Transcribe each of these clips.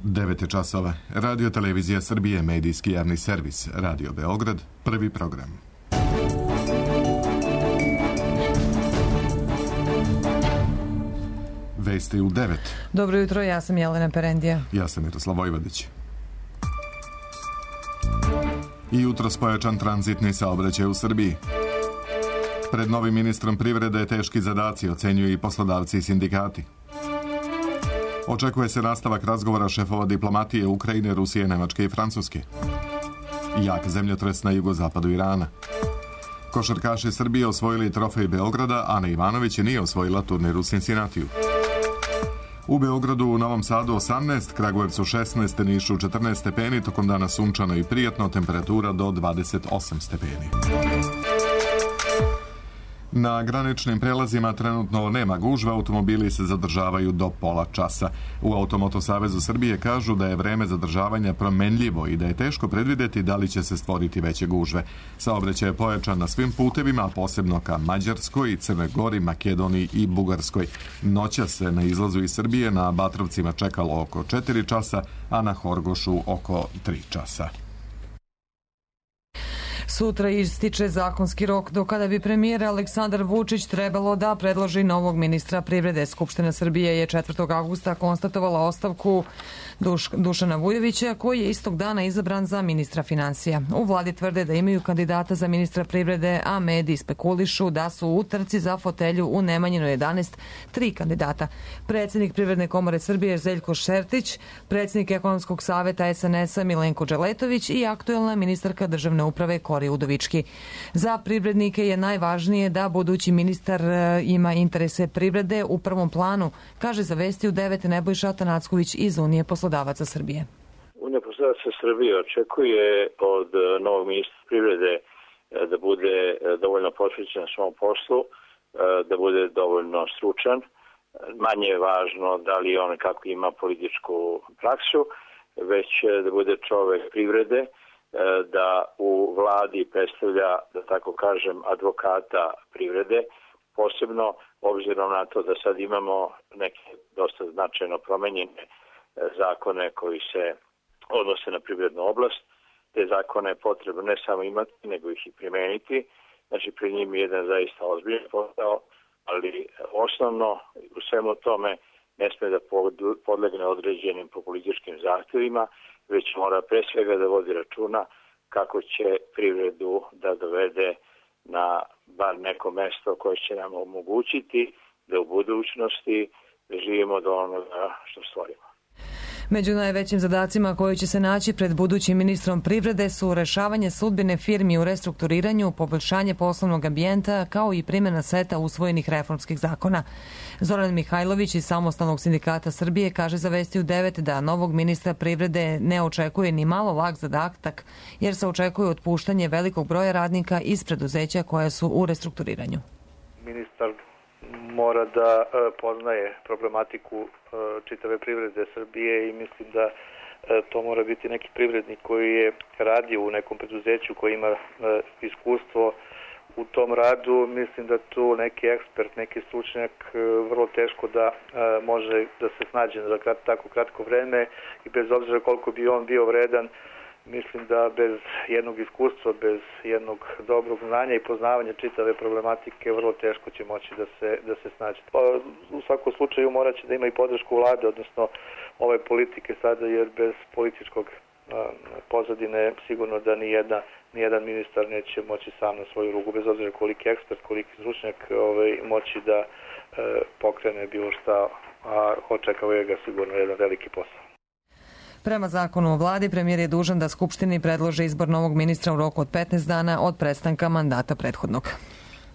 9 časova. Radio Televizija Srbije, medijski javni servis. Radio Beograd, prvi program. Vesti u 9. Dobro jutro, ja sam Jelena Perendija. Ja sam Miroslav Vojvodić. I jutros pojačan tranzitni saobraćaj u Srbiji. Pred novim ministrom privrede teški zadaci, ocenjuju i poslodavci i sindikati. Očekuje se nastavak razgovora šefova diplomatije Ukrajine, Rusije, Nemačke i Francuske. Jak zemljotres na jugozapadu Irana. Košarkaši Srbije osvojili trofej Beograda, Ana Ivanović nije osvojila turnir u Cincinnatiju. U Beogradu, u Novom Sadu 18, Kragujevcu 16, Nišu 14 stepeni, tokom dana sunčano i prijatno, temperatura do 28 stepeni. Na graničnim prelazima trenutno nema gužve, automobili se zadržavaju do pola časa. U Automoto Savezu Srbije kažu da je vreme zadržavanja promenljivo i da je teško predvideti da li će se stvoriti veće gužve. Saobraćaj je pojačan na svim putevima, posebno ka Mađarskoj, Crnoj Gori, Makedoniji i Bugarskoj. Noća se na izlazu iz Srbije na Batrovcima čekalo oko 4 časa, a na Horgošu oko 3 časa. Sutra ističe zakonski rok do kada bi premijer Aleksandar Vučić trebalo da predloži novog ministra privrede. Skupština Srbije je 4. avgusta konstatovala ostavku Dušana Vujovića, koji je istog dana izabran za ministra finansija. U vladi tvrde da imaju kandidata za ministra privrede, a mediji spekulišu da su u trci za fotelju u Nemanjinoj 11 3 kandidata. Predsjednik Privredne komore Srbije Željko Šertić, predsjednik Ekonomskog saveta SNS-a Milenko Dželetović i aktuelna ministarka državne uprave Kori Udovički. Za privrednike je najvažnije da budući ministar ima interese privrede u prvom planu, kaže za Vesti u 9 Nebojša Atanacković iz Unije poslodavaca Srbije. Unija poslodavaca Srbije očekuje od novog ministra privrede da bude dovoljno posvećen svom poslu, da bude dovoljno stručan. Manje je važno da li on kako ima političku praksu, već da bude čovek privrede, da u vladi predstavlja, da tako kažem, advokata privrede, posebno obzirom na to da sad imamo neke dosta značajno promenjene zakone koji se odnose na privrednu oblast. Te zakone je potrebno ne samo imati, nego ih i primeniti. Znači, pri njim je jedan zaista ozbiljan posao, ali osnovno u svemu tome ne sme da podlegne određenim populističkim zahtjevima, već mora pre svega da vodi računa kako će privredu da dovede na bar neko mesto koje će nam omogućiti da u budućnosti živimo do onoga što stvorimo. Među najvećim zadacima koji će se naći pred budućim ministrom privrede su rešavanje sudbine firmi u restrukturiranju, poboljšanje poslovnog ambijenta, kao i primjena seta usvojenih reformskih zakona. Zoran Mihajlović iz Samostalnog sindikata Srbije kaže za Vesti u 9 da novog ministra privrede ne očekuje ni malo lak zadatak, jer se očekuje otpuštanje velikog broja radnika iz preduzeća koja su u restrukturiranju. Ministar mora da poznaje problematiku čitave privrede Srbije i mislim da to mora biti neki privrednik koji je radio u nekom preduzeću, koji ima iskustvo u tom radu. Mislim da tu neki ekspert, neki stručnjak vrlo teško da može da se snađe za tako kratko vreme i bez obzira koliko bi on bio vredan, mislim da bez jednog iskustva, bez jednog dobrog znanja i poznavanja čitave problematike vrlo teško će moći da se snađe. U svakom slučaju morat će da ima i podršku vlade, odnosno ove politike sada, jer bez političkog pozadine sigurno da nijedan ministar neće moći sam na svoju ruku, bez obzira koliki ekspert, koliki stručnjak moći da pokrene bilo šta, a očekuje ga sigurno jedan veliki posao. Prema zakonu o vladi, premijer je dužan da Skupštini predloži izbor novog ministra u roku od 15 dana od prestanka mandata prethodnog.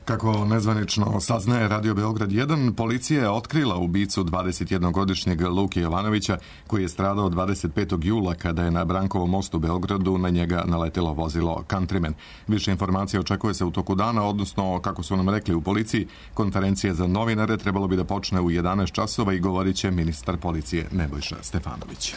Kako nezvanično saznaje Radio Beograd 1, policija je otkrila ubicu 21-godišnjeg Luke Jovanovića, koji je stradao 25. jula kada je na Brankovom mostu u Beogradu na njega naletelo vozilo Countryman. Više informacija očekuje se u toku dana, odnosno, kako su nam rekli u policiji, konferencija za novinare trebalo bi da počne u 11 časova i govorit će ministar policije Nebojša Stefanović.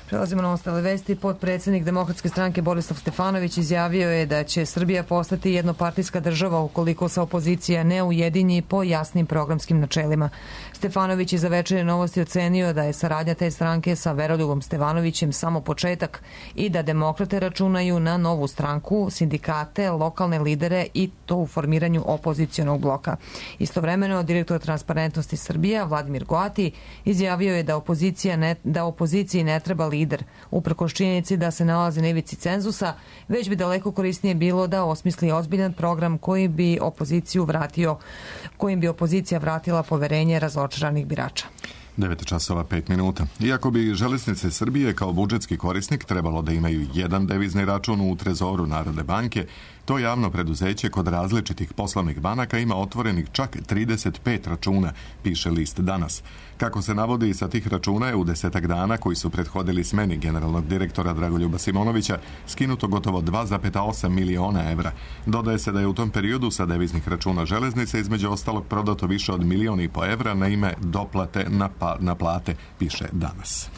Prelazimo na ostale vesti. Potpredsjednik Demokratske stranke Borislav Stefanović izjavio je da će Srbija postati jednopartijska država ukoliko se opozicija ne ujedinji po jasnim programskim načelima. Stefanović je za Večernje novosti ocenio da je saradnja te stranke sa Veroljubom Stevanovićem samo početak i da demokrate računaju na novu stranku, sindikate, lokalne lidere i to u formiranju opozicionog bloka. Istovremeno, direktor Transparentnosti Srbija Vladimir Goati izjavio je da opoziciji ne treba lider, uprkos činjenici da se nalazi na ivici cenzusa, već bi daleko korisnije bilo da osmisli ozbiljan program kojim bi opozicija vratila poverenje razočaranih birača. 9:05. Iako bi Železnice Srbije kao budžetski korisnik trebalo da imaju jedan devizni račun u trezoru Narodne banke, to javno preduzeće kod različitih poslovnih banaka ima otvorenih čak 35 računa, piše list Danas. Kako se navodi, sa tih računa je u 10 dana koji su prethodili smeni generalnog direktora Dragoljuba Simonovića skinuto gotovo 2,8 miliona evra. Dodaje se da je u tom periodu sa deviznih računa Železnice između ostalog prodato više od 1,5 miliona evra na ime doplate na plate, piše Danas.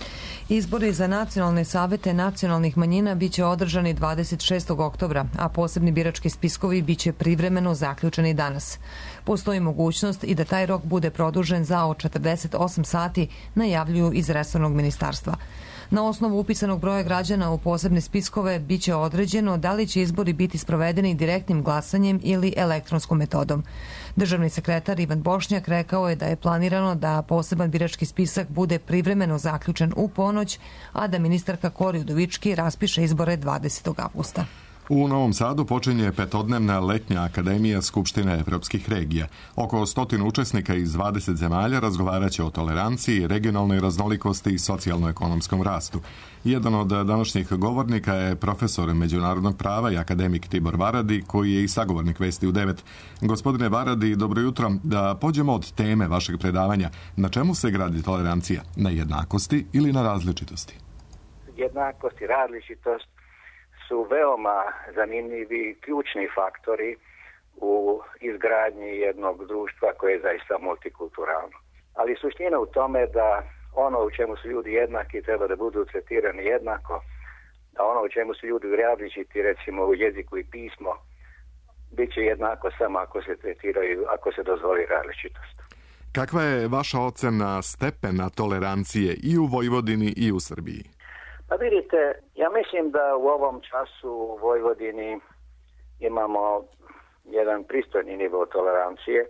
Izbori za nacionalne savete nacionalnih manjina biće održani 26. oktobra, a posebni birački spiskovi biće privremeno zaključeni danas. Postoji mogućnost i da taj rok bude produžen za 48 sati, najavljuju iz resornog ministarstva. Na osnovu upisanog broja građana u posebne spiskove biće određeno da li će izbori biti sprovedeni direktnim glasanjem ili elektronskom metodom. Državni sekretar Ivan Bošnjak rekao je da je planirano da poseban birački spisak bude privremeno zaključen u ponoć, a da ministarka Kori Udovički raspiše izbore 20. avgusta. U Novom Sadu počinje 5-dnevna letnja akademija Skupštine evropskih regija. Oko 100 učesnika iz 20 zemalja razgovaraće o toleranciji, regionalnoj raznolikosti i socijalno-ekonomskom rastu. Jedan od današnjih govornika je profesor međunarodnog prava i akademik Tibor Varadi, koji je i sagovornik Vesti u 9. Gospodine Varadi, dobro jutro. Da pođemo od teme vašeg predavanja. Na čemu se gradi tolerancija? Na jednakosti ili na različitosti? Jednakost i različitost su veoma zanimljivi ključni faktori u izgradnji jednog društva koje je zaista multikulturalno. Ali suština u tome da ono u čemu su ljudi jednaki treba da budu tretirani jednako, a ono u čemu su ljudi različiti, recimo u jeziku i pismo, bit će jednako samo ako se tretiraju, ako se dozvoli različitost. Kakva je vaša ocena stepena tolerancije i u Vojvodini i u Srbiji? Pa vidite, ja mislim da u ovom času u Vojvodini imamo jedan pristojni nivo tolerancije,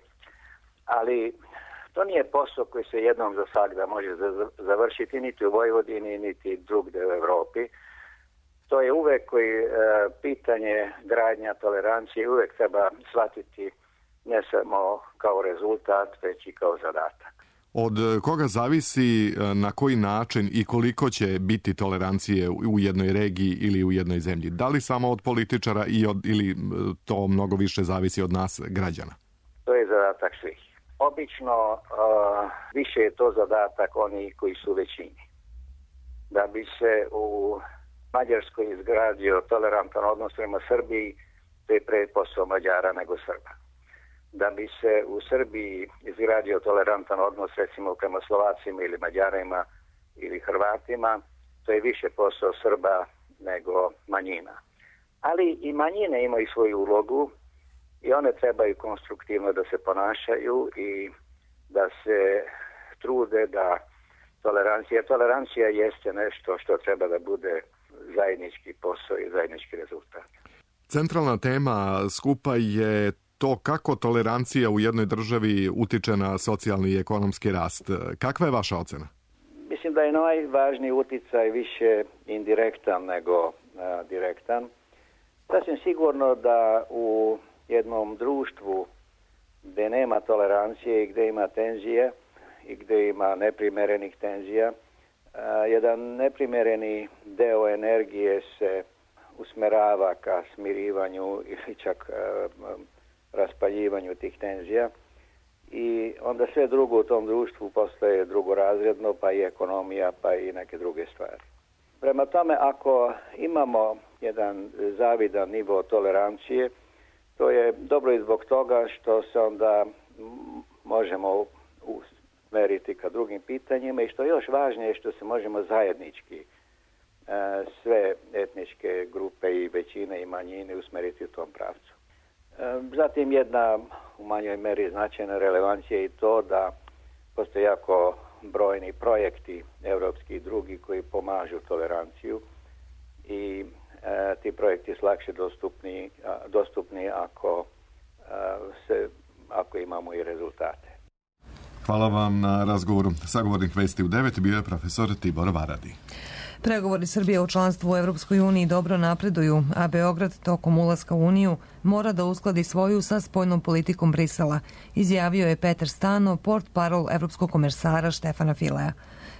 ali to nije posao koji se jednom za svagda može završiti niti u Vojvodini, niti drugde u Evropi. To je uvek pitanje gradnja tolerancije, uvek treba shvatiti ne samo kao rezultat, već i kao zadatak. Od koga zavisi na koji način i koliko će biti tolerancije u jednoj regiji ili u jednoj zemlji? Da li samo od političara ili to mnogo više zavisi od nas, građana? To je zadatak svih. Obično više je to zadatak onih koji su većini. Da bi se u Mađarskoj izgradio tolerantan odnos prema Srbiji, to je pre posao Mađara nego Srba. Da bi se u Srbiji izgradio tolerantan odnos recimo prema Slovacima ili Mađarima ili Hrvatima, to je više posao Srba nego manjina. Ali i manjine imaju svoju ulogu i one trebaju konstruktivno da se ponašaju i da se trude da tolerancija jeste nešto što treba da bude zajednički posao i zajednički rezultat. Centralna tema skupa je to kako tolerancija u jednoj državi utiče na socijalni i ekonomski rast. Kakva je vaša ocena? Mislim da je najvažniji uticaj više indirektan nego direktan. Sasvim sigurno da u jednom društvu gde nema tolerancije i gde ima tenzije i gde ima neprimerenih tenzija, jedan neprimereni deo energije se usmerava ka smirivanju ili čak raspaljivanju tih tenzija i onda sve drugo u tom društvu postaje drugorazredno, pa i ekonomija, pa i neke druge stvari. Prema tome, ako imamo jedan zavidan nivo tolerancije, to je dobro i zbog toga što se onda možemo usmeriti ka drugim pitanjima i što je još važnije što se možemo zajednički sve etničke grupe i većine i manjine usmeriti u tom pravcu. Zatim jedna u manjoj meri značajna relevancija je i to da postoje jako brojni projekti evropski i drugi koji pomažu toleranciju i ti projekti su lakše dostupni ako imamo i rezultate. Hvala vam na razgovoru. Sagovornik Vesti u 9 bio je profesor Tibor Varadi. Pregovori Srbije o članstvu u Evropskoj uniji dobro napreduju, a Beograd tokom ulaska u Uniju mora da uskladi svoju sa spoljnom politikom Brisela, izjavio je Peter Stano, portparol evropskog komesara Štefana Filea.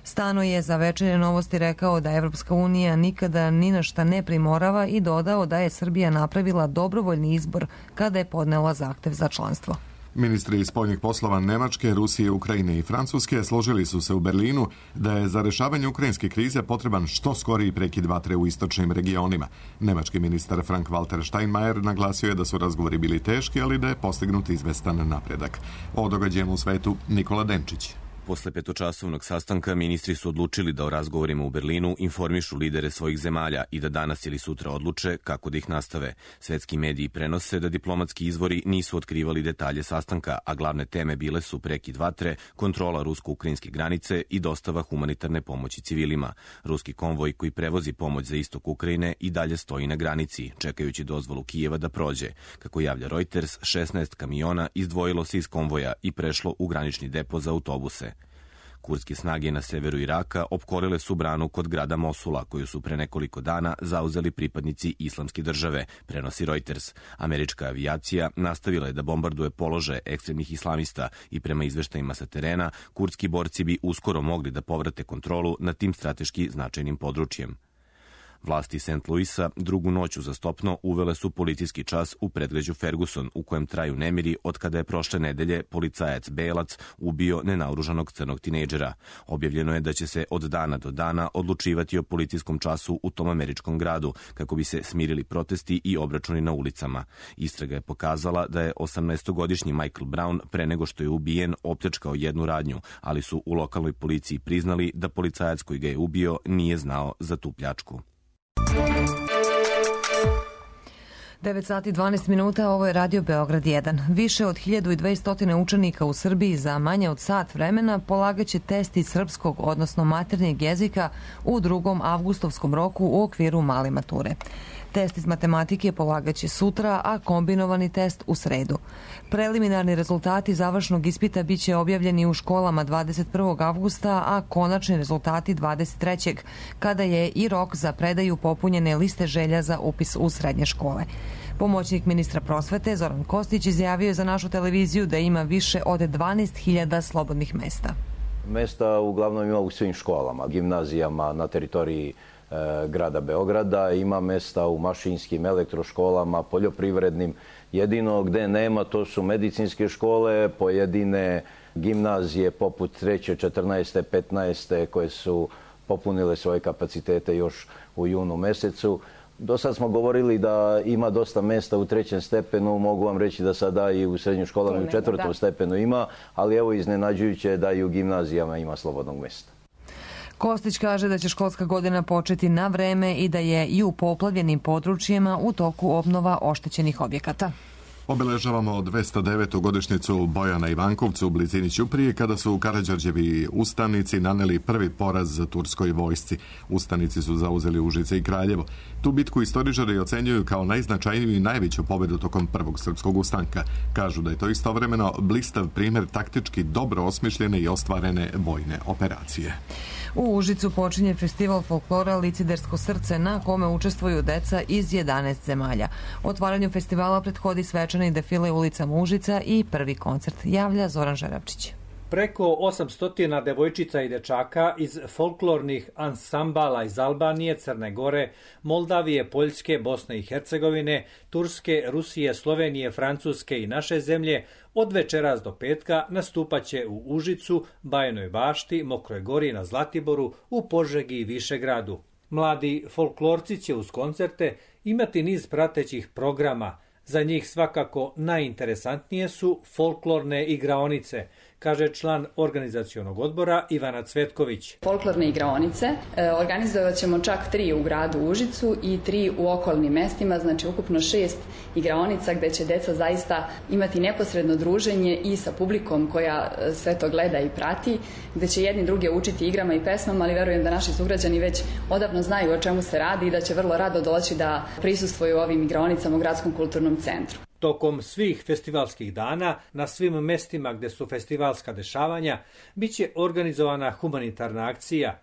Stano je za Večernje novosti rekao da Evropska unija nikada ni na šta ne primorava i dodao da je Srbija napravila dobrovoljni izbor kada je podnela zahtev za članstvo. Ministri spoljnih poslova Nemačke, Rusije, Ukrajine i Francuske složili su se u Berlinu da je za rešavanje ukrajinske krize potreban što skoriji prekid vatre u istočnim regionima. Nemački ministar Frank-Walter Steinmeier naglasio je da su razgovori bili teški, ali da je postignut izvestan napredak. O događajima u svetu Nikola Denčić. Posle petočasovnog sastanka ministri su odlučili da o razgovorima u Berlinu informišu lidere svojih zemalja i da danas ili sutra odluče kako da ih nastave. Svetski mediji prenose da diplomatski izvori nisu otkrivali detalje sastanka, a glavne teme bile su prekid vatre, kontrola rusko-ukrajinske granice i dostava humanitarne pomoći civilima. Ruski konvoj koji prevozi pomoć za istok Ukrajine i dalje stoji na granici, čekajući dozvolu Kijeva da prođe. Kako javlja Reuters, 16 kamiona izdvojilo se iz konvoja i prešlo u granični depo za autobuse. Kurdske snage na severu Iraka opkorile su branu kod grada Mosula, koju su pre nekoliko dana zauzeli pripadnici Islamske države, prenosi Reuters. Američka avijacija nastavila je da bombarduje položaje ekstremnih islamista i prema izveštajima sa terena, kurdski borci bi uskoro mogli da povrate kontrolu nad tim strateški značajnim područjem. Vlasti St. Louisa drugu noć uzastopno uvele su policijski čas u predgrađu Ferguson, u kojem traju nemiri od kada je prošle nedelje policajac Belac ubio nenaoružanog crnog tinejdžera. Objavljeno je da će se od dana do dana odlučivati o policijskom času u tom američkom gradu, kako bi se smirili protesti i obračuni na ulicama. Istraga je pokazala da je 18-godišnji Michael Brown pre nego što je ubijen opljačkao jednu radnju, ali su u lokalnoj policiji priznali da policajac koji ga je ubio nije znao za tu pljačku. 9 sati 12 minuta, ovo je Radio Beograd 1. Više od 1200 učenika u Srbiji za manje od sat vremena polagaće test iz srpskog, odnosno maternjeg jezika u 2. avgustovskom roku u okviru male mature. Test iz matematike polagaće sutra, a kombinovani test u sredu. Preliminarni rezultati završnog ispita biće objavljeni u školama 21. avgusta, a konačni rezultati 23. kada je i rok za predaju popunjene liste želja za upis u srednje škole. Pomoćnik ministra prosvete Zoran Kostić izjavio je za našu televiziju da ima više od 12.000 slobodnih mesta. Mesta uglavnom ima u svim školama, gimnazijama na teritoriji grada Beograda, ima mesta u mašinskim, elektroškolama, poljoprivrednim. Jedino gde nema, to su medicinske škole, pojedine gimnazije poput 3., 14., 15. koje su popunile svoje kapacitete još u junu mesecu. Do sad smo govorili da ima dosta mesta u 3. stepenu, mogu vam reći da sada i u srednjim školama i u 4. stepenu ima, ali evo iznenađujuće da i u gimnazijama ima slobodnog mesta. Kostić kaže da će školska godina početi na vreme i da je i u poplavljenim područjima u toku obnova oštećenih objekata. Obeležavamo 209. godišnjicu boja na Ivankovcu u blizini Ćuprije, kada su Karađorđevi ustanici naneli prvi poraz turskoj vojsci. Ustanici su zauzeli Užice i Kraljevo. Tu bitku istoričari ocenjuju kao najznačajniju i najveću pobedu tokom prvog srpskog ustanka. Kažu da je to istovremeno blistav primjer taktički dobro osmišljene i ostvarene vojne operacije. U Užicu počinje festival folklora Licidersko srce, na kome učestvuju deca iz 11 zemalja. Otvaranju festivala prethodi svečani defile ulicama Užica i prvi koncert, javlja Zoran Žerabčić. Preko 800 devojčica i dečaka iz folklornih ansambala iz Albanije, Crne Gore, Moldavije, Poljske, Bosne i Hercegovine, Turske, Rusije, Slovenije, Francuske i naše zemlje od večeras do petka nastupaće u Užicu, Bajinoj Bašti, Mokroj Gori, na Zlatiboru, u Požegi i Višegradu. Mladi folklorci će uz koncerte imati niz pratećih programa. Za njih svakako najinteresantnije su folklorne igraonice, kaže član organizacionog odbora Ivana Cvetković. Folklorne igraonice organizovat ćemo čak 3 u gradu Užicu i 3 u okolnim mestima, znači ukupno 6 igraonica gde će deca zaista imati neposredno druženje i sa publikom koja sve to gleda i prati, gde će jedni druge učiti igrama i pesmama, ali verujem da naši sugrađani već odavno znaju o čemu se radi i da će vrlo rado doći da prisustvuju ovim igraonicama u Gradskom kulturnom centru. Tokom svih festivalskih dana, na svim mestima gde su festivalska dešavanja, biće organizovana humanitarna akcija.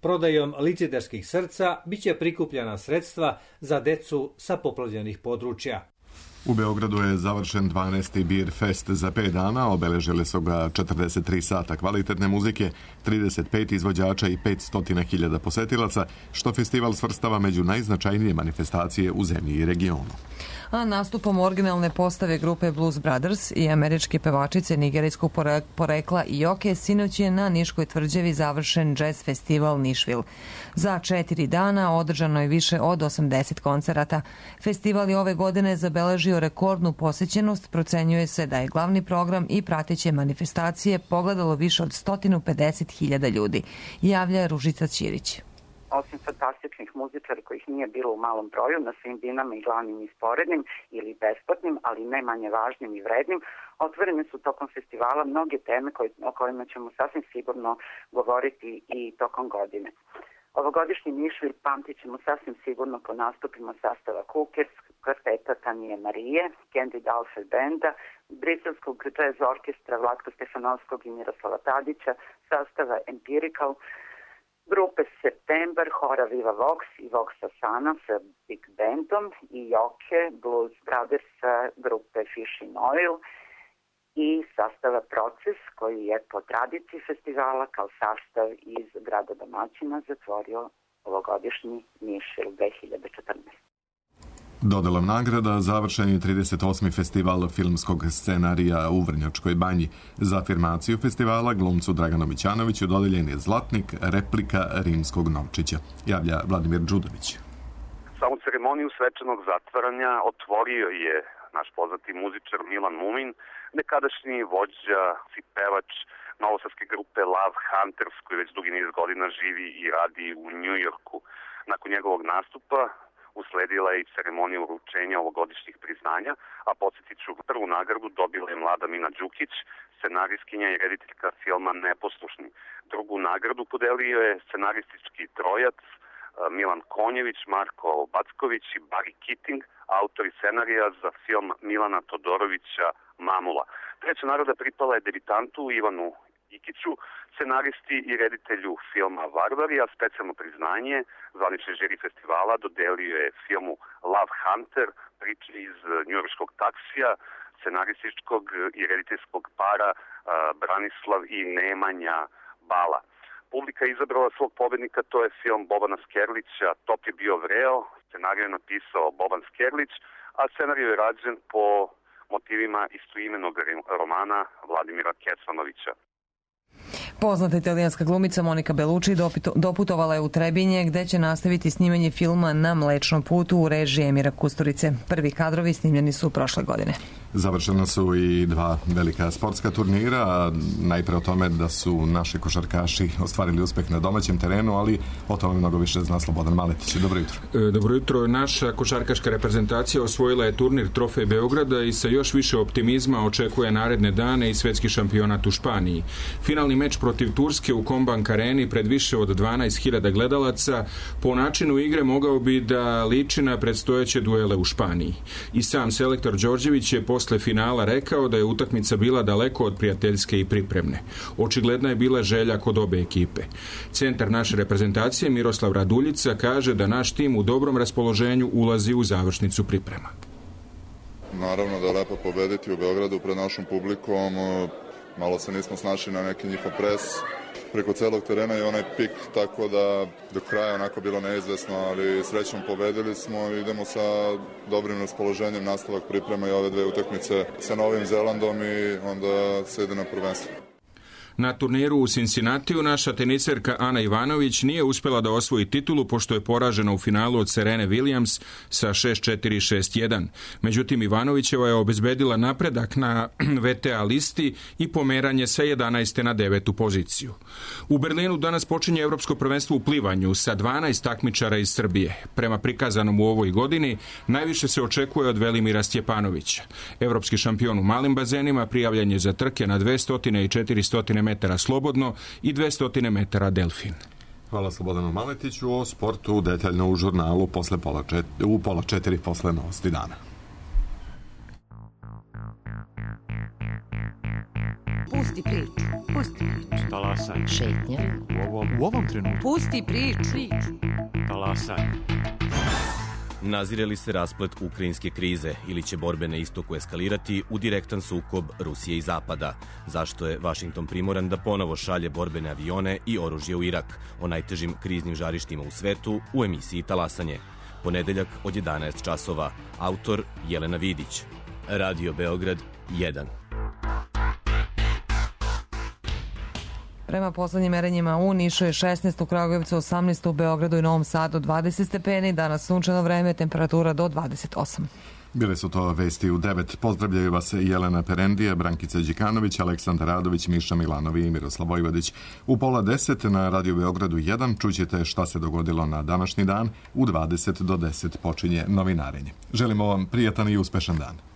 Prodajom licedarskih srca biće prikupljena sredstva za decu sa poplavljenih područja. U Beogradu je završen 12. Beer Fest za 5 dana, obeležile su ga 43 sata kvalitetne muzike, 35 izvođača i 500.000 posetilaca, što festival svrstava među najznačajnije manifestacije u zemlji i regionu. A nastupom originalne postave grupe Blues Brothers i američke pevačice nigerijskog porekla Ioke sinoć je na Niškoj tvrđavi završen jazz festival Nišvil. Za 4 dana održano je više od 80 koncerata. Festival je ove godine zabeležio rekordnu posećenost, procenjuje se da je glavni program i prateće manifestacije pogledalo više od 150.000 ljudi, javlja Ružica Ćirić. Osim fantastičnih muzičara kojih nije bilo u malom broju, na svim dinama i glavnim i sporednim ili besplatnim, ali ne manje važnim i vrednim, otvorene su tokom festivala mnoge teme o kojima ćemo sasvim sigurno govoriti i tokom godine. Ovogodišnji Nišvil pamtit ćemo sasvim sigurno po nastupima sastava Kukes, kvarteta Tanije Marije, Candy Dalfer Benda, briselskog jazz orkestra Vlatka Stefanovskog i Miroslava Tadića, sastava Empirical, grupe September, hora Viva Vox i Vox Asana sa Big Bandom i Ioke, Blues Brothers sa grupe Fish in Oil i sastava Proces koji je po tradiciji festivala kao sastav iz grada domaćina zatvorio ovogodišnji Nišvil 2014. Dodelom nagrada završen je 38. festival filmskog scenarija u Vrnjačkoj banji. Za afirmaciju festivala glumcu Draganu Mićanoviću dodeljen je zlatnik replika rimskog novčića, javlja Vladimir Đudović. Samu ceremoniju svečanog zatvaranja otvorio je naš poznati muzičar Milan Mumin, nekadašnji vođa i pevač novosadske grupe Love Hunters, koji već dugi niz godina živi i radi u Njujorku. Nakon njegovog nastupa usledila je i ceremonija uručenja ovogodišnjih priznanja, a podsjetit ću, prvu nagradu dobila je mlada Mina Đukić, scenarijskinja i rediteljka filma Neposlušni. Drugu nagradu podelio je scenaristički trojac Milan Konjević, Marko Backović i Barry Keating, autori scenarija za film Milana Todorovića Mamula. Treća nagrada pripala je debitantu Ivanu Ikiću, scenaristi i reditelju filma Varvari, a specijalno priznanje zvanični žiri festivala dodelio je filmu Love Hunter, priče iz njujorškog taksija, scenarističkog i rediteljskog para Branislav i Nemanja Bala. Publika je izabrala svog pobednika, to je film Bobana Skerlića Top je bio vreo, scenarij je napisao Boban Skerlić, a scenarij je rađen po motivima istoimenog romana Vladimira Kesanovića. Poznata italijanska glumica Monika Bellucci doputovala je u Trebinje gde će nastaviti snimanje filma Na mlečnom putu u režiji Emira Kusturice. Prvi kadrovi snimljeni su prošle godine. Završena su i 2 velika sportska turnira, najpre o tome da su naši košarkaši ostvarili uspeh na domaćem terenu, ali o tome mnogo više zna Slobodan Maletić. Dobro jutro. Dobro jutro. Naša košarkaška reprezentacija osvojila je turnir Trofej Beograda i sa još više optimizma očekuje naredne dane i svetski šampionat u Španiji. Finalni meč protiv Turske u Kombank areni pred više od 12.000 gledalaca po načinu igre mogao bi da liči na predstojeće duele u Španiji. I sam selektor Đorđević je posle finala rekao da je utakmica bila daleko od prijateljske i pripremne. Očigledna je bila želja kod obe ekipe. Centar naše reprezentacije Miroslav Raduljica kaže da naš tim u dobrom raspoloženju ulazi u završnicu priprema. Naravno da je lepo pobediti u Beogradu pred našom publikom. Malo se nismo snašli na neki njihov pres preko celog terena i onaj pik, tako da do kraja onako bilo neizvesno, ali srećom pobedili smo i idemo sa dobrim raspoloženjem nastavak priprema i ove 2 utakmice sa Novim Zelandom i onda se ide na prvenstvo. Na turniru u Cincinnatiju naša teniserka Ana Ivanović nije uspjela da osvoji titulu pošto je poražena u finalu od Serene Williams sa 6-4, 6-1. Međutim, Ivanovićeva je obezbedila napredak na VTA listi i pomeranje sa 11. na 9. poziciju. U Berlinu danas počinje Evropsko prvenstvo u plivanju sa 12 takmičara iz Srbije. Prema prikazanom u ovoj godini, najviše se očekuje od Velimira Stjepanovića. Evropski šampion u malim bazenima prijavljen je za trke na 200 i 400 metara slobodno i 200 metara delfin. Hvala Slobodanu Maletiću. O sportu detaljno u žurnalu u pola 4 posle novosti dana. Pusti priču. Talasaj. Šetnja. U ovom trenutku. Pusti priču. Talasaj. Nazire li se rasplet ukrajinske krize ili će borbe na istoku eskalirati u direktan sukob Rusije i Zapada? Zašto je Vašington primoran da ponovo šalje borbene avione i oružje u Irak? O najtežim kriznim žarištima u svetu u emisiji Talasanje. Ponedeljak od 11 časova. Autor Jelena Vidić. Radio Beograd 1. Prema poslednjim merenjima u Nišu je 16, u Kragujevcu 18, u Beogradu i Novom Sadu 20 stepeni, danas sunčano vreme, temperatura do 28. Bile su to vesti u 9. Pozdravljaju vas Jelena Perendije, Brankica Đikanović, Aleksandar Radović, Miša Milanovi i Miroslav Vojvodić. U pola 10 na Radio Beogradu 1 čućete šta se dogodilo na današnji dan. U 20 do 10 počinje novinarenje. Želimo vam prijatan i uspešan dan.